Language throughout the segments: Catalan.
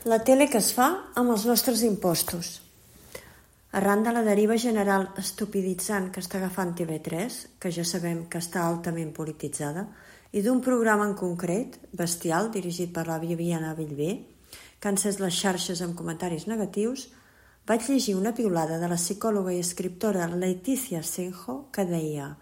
La tele que es fa amb els nostres impostos. Arran de la deriva general estupiditzant que està agafant TV3, que ja sabem que està altament polititzada, i d'un programa en concret, Bestial, dirigit per la Viviana Bellver, que ha encès les xarxes amb comentaris negatius, vaig llegir una piulada de la psicòloga i escriptora Leticia Senjo que deia: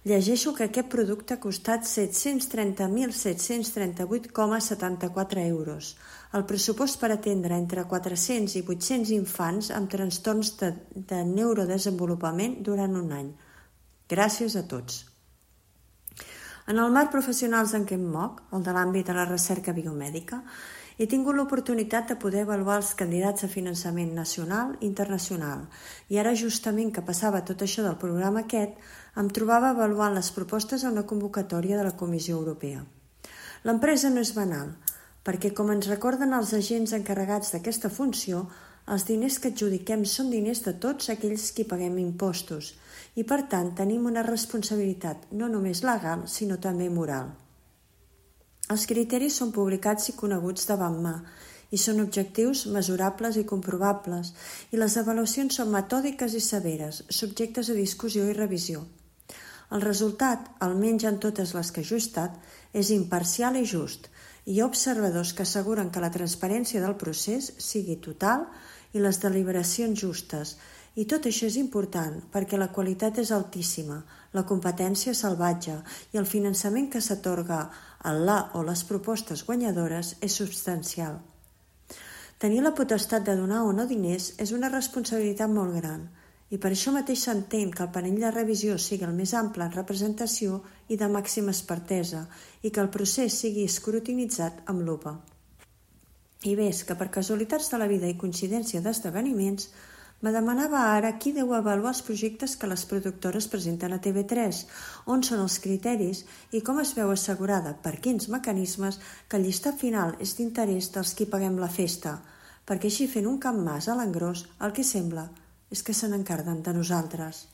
llegeixo que aquest producte ha costat 730.738,74 euros. El pressupost per atendre entre 400 i 800 infants amb trastorns de neurodesenvolupament durant un any. Gràcies a tots. En el marc professionals en què em moc, el de l'àmbit de la recerca biomèdica, he tingut l'oportunitat de poder avaluar els candidats a finançament nacional i internacional, i ara justament que passava tot això del programa aquest, em trobava avaluant les propostes a una convocatòria de la Comissió Europea. L'empresa no és banal, perquè com ens recorden els agents encarregats d'aquesta funció, els diners que adjudiquem són diners de tots aquells qui paguem impostos, i per tant tenim una responsabilitat no només legal, sinó també moral. Els criteris són publicats i coneguts davant mà i són objectius, mesurables i comprovables, i les avaluacions són metòdiques i severes, subjectes a discussió i revisió. El resultat, almenys en totes les que he ajustat, és imparcial i just, i hi ha observadors que asseguren que la transparència del procés sigui total i les deliberacions justes, i tot això és important perquè la qualitat és altíssima, la competència salvatge i el finançament que s'atorga a la o les propostes guanyadores és substancial. Tenir la potestat de donar o no diners és una responsabilitat molt gran i per això mateix s'entén que el panell de revisió sigui el més ample en representació i de màxima expertesa i que el procés sigui escrutinitzat amb lupa. I ves que per casualitats de la vida i coincidència d'esdeveniments me demanava ara qui deu avaluar els projectes que les productores presenten a TV3, on són els criteris i com es veu assegurada, per quins mecanismes, que el llistat final és d'interès dels qui paguem la festa, perquè així fent un camp mas a l'engròs el que sembla és que se n'encarden de nosaltres.